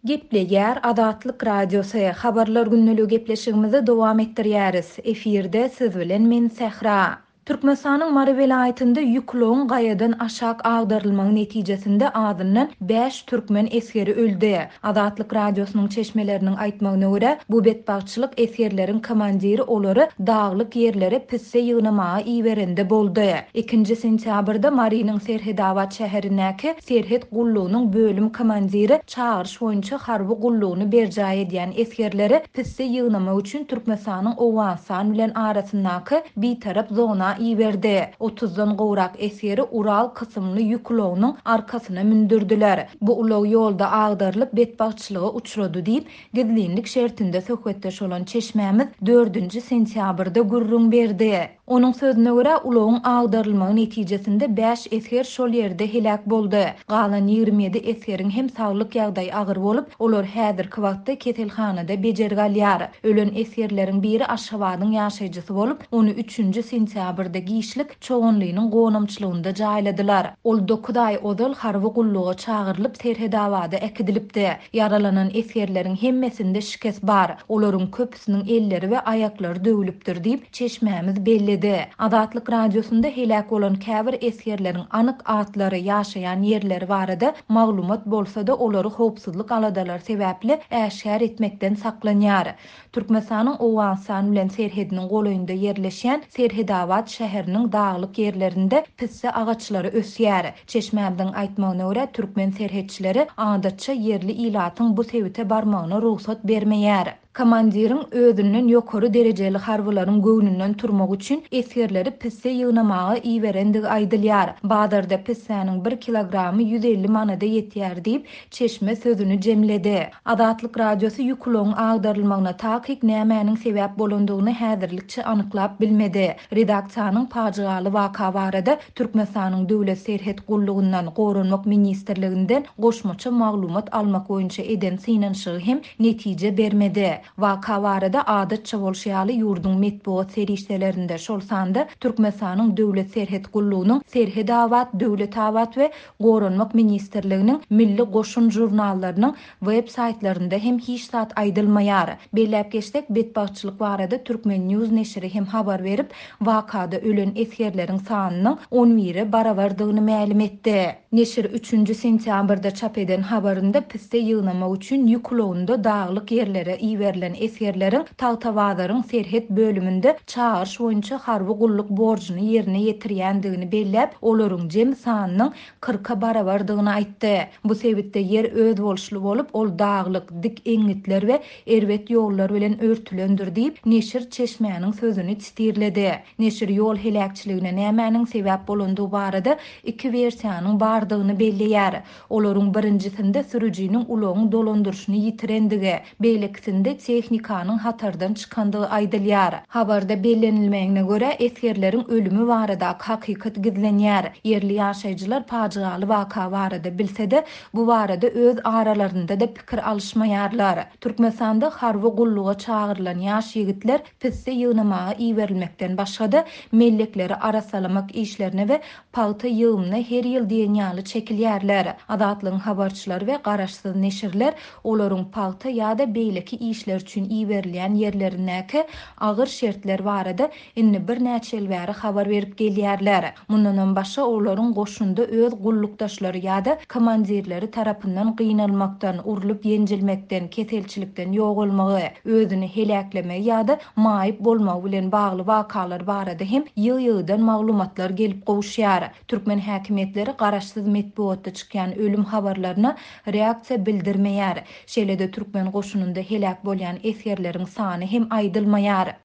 Gepleýär Azatlyk Radiosy, Habarlar gündeligi gepleşigimizi dowam etdirýäris. Efirde siz bilen men Sähra. Türkmenistanyň Mary welaýatynda ýük ulagyň gaýadan aşak agdarylmagy netijesinde azyndan bäş türkmen esgeri öldi. Azatlyk Radiosynyň çeşmeleriniň aýtmagyna görä, bu betbagtçylyk esgerleriň komandiri olary daglyk ýerlere pisse ýygnamaga iberende boldy. Ikinji sentýabrda Marynyň Serhedabat şäherindäki serhet gullugynyň bölüm komandiri çagyryş boýunça harby gullugyny berjaý edýän esgerleri pisse ýygnamak üçin Türkmenistanyň Owganystan bilen arasyndaky bitarap zona iberdi. Otuzdan gowrak esgeri Ural kysymly ýük ulagynyň arkasyna mündürdiler. Bu ulag ýolda agdarylyp, betbagtçylyga uçrady diýip, gizlinlik şertinde söhbetdeş bolan çeşmämiz dördünji sentýabrda gürrüň berdi. Onuň sözüne görä, ulagyň agdarylmagy netijesinde bäş esger şol ýerde heläk boldy. Galan 27 esgeriň hem saglyk ýagdaýy agyr bolup, olar häzirki wagtda keselhanada bejergi alýar. Ölen esgerleriň biri Aşgabadyň ýaşaýjysy bolup, ony üçünji sentýabrda giçlik Çoganlynyň gonamçylygynda jaýladylar. Ol dokuz aý ozal harby gulluga çagyrylyp, Serhedabada äkidilipdi. Ýaralanan esgerleriň hemmesinde şikes bar. Olaryň köpüsiniň elleri we aýaklary döwlüpdir diýip, çeşmämiz belledi. Azatlyk Radiosynda heläk bolan käbir esgerleriň anyk atlary, ýaşaýan ýerleri barada maglumat bolsa-da, olary howpsuzlyk aladalary sebäpli äşgär etmekden saklanýar. Türkmenistanyň Owganystan bilen serhediniň golaýynda ýerleşýän Serhedabat şäheriniň daglyk ýerlerinde pisse agaçlary ösýär. Çeşmämiziň aýtmagyna görä, türkmen serhetçileri adatça ýerli ilatyň bu sebite barmagyna rugsat bermeýär. Komandiriň özünden ýokary derejeli harbylaryň göwnünden turmak üçin esgerleri pisse ýygnamaga iberendigi aýdylýar. Bazarda pissäniň bir kilogramy 150 manada ýetýär diýip, çeşme sözüni jemledi. Azatlyk Radiosy ýük ulagyň agdarylmagyna takyk nämäniň sebäp bolandygyny häzirlikçe anyklap bilmedi. Redaksiýanyň pajygaly waka barada Türkmenistanyň Döwlet serhet gullugyndan, Goranmak ministrliginden goşmaça maglumat almak boýunça eden synanyşygy hem netije bermedi. Waka barada adatça bolşy ýaly ýurduň metbugat serişdelerinde, şol sanda Türkmenistanyň Döwlet serhet gullugynyň Serhetabat, Döwletabat we Goranmak ministrliginiň Milli goşun žurnallarynyň web saýtlarynda hem hiç zat aýdylmaýar. Belläp geçsek, betbagtçylyk barada Turkmen. News neşiri hem habar berip, wakada ölen esgerleriň sanynyň on bire barabardygyny mälim etdi. Neşir üçünji sentýabrda çap eden habarynda pisse ýygnamak üçin ýük ulagynda daglyk ýerlere iberilen esgerleriň Tagtabazaryň serhet bölüminde çagyryş boýunça harby gulluk borjuny ýerine ýetirýändigini belläp, olaryň jemi sanynyň kyrka barabardygyny aýtdy. Bu sebitde ýer özboluşly bolup, ol daglyk, dik eňňitler we erbet ýollar bilen örtülendir diýip, neşir çeşmäniň sözüni sitirledi. Neşir ýol heläkçiligine nämäniň sebäp bolandygy barada iki wersiýanyň bardygyny belleýär. Olaryň birinjisinde sürüjiniň ulagyň dolandyryşyny ýitirendigi, beýlekisinde tehnikanyň hatardan çykandygy aýdylýar. Habarda bellenilmegine görä, esgerleriň ölümi baradaky hakykat gizlenýär. Ýerli ýaşaýjylar pajygaly waka barada bilse-de, bu barada öz aralarynda-da pikir alyşmaýarlar. Türkmenistanda harby gulluga çagyrylan ýaş ýigitler pisse ýygnamaga iberilmekden başga-da, mellekleri arassalamak işlerine we pagta ýygymyna her ýyl diýen ýaly çekilýärler. Azatlygyň habarçylary we garaşsyz neşirler olaryň pagta ýa-da beýleki işler üçin iberilýän ýerlerindäki agyr şertler barada indi birnäçe ýyl bäri habar berip gelýärler. Mundanam başga olaryň goşunda öz gullukdaşlary ýa-da komandirleri tarapyndan gynalmakdan, urlup-ýenjilmekden, keselçilikden ýogalmagy, özüni heläklemegi ýa-da maýyp bolmagy bilen bagly wakalar barada hem ýygy-ýygydan maglumatlar gelip gowuşýar. Türkmen häkimiýetleri garaşsyz metbugatda çykýan ölüm habarlaryna reaksiýa bildirmeýär. Şeýle-de türkmen goşunynda heläk bolýan esgerleriň sany hem aýdylmaýar.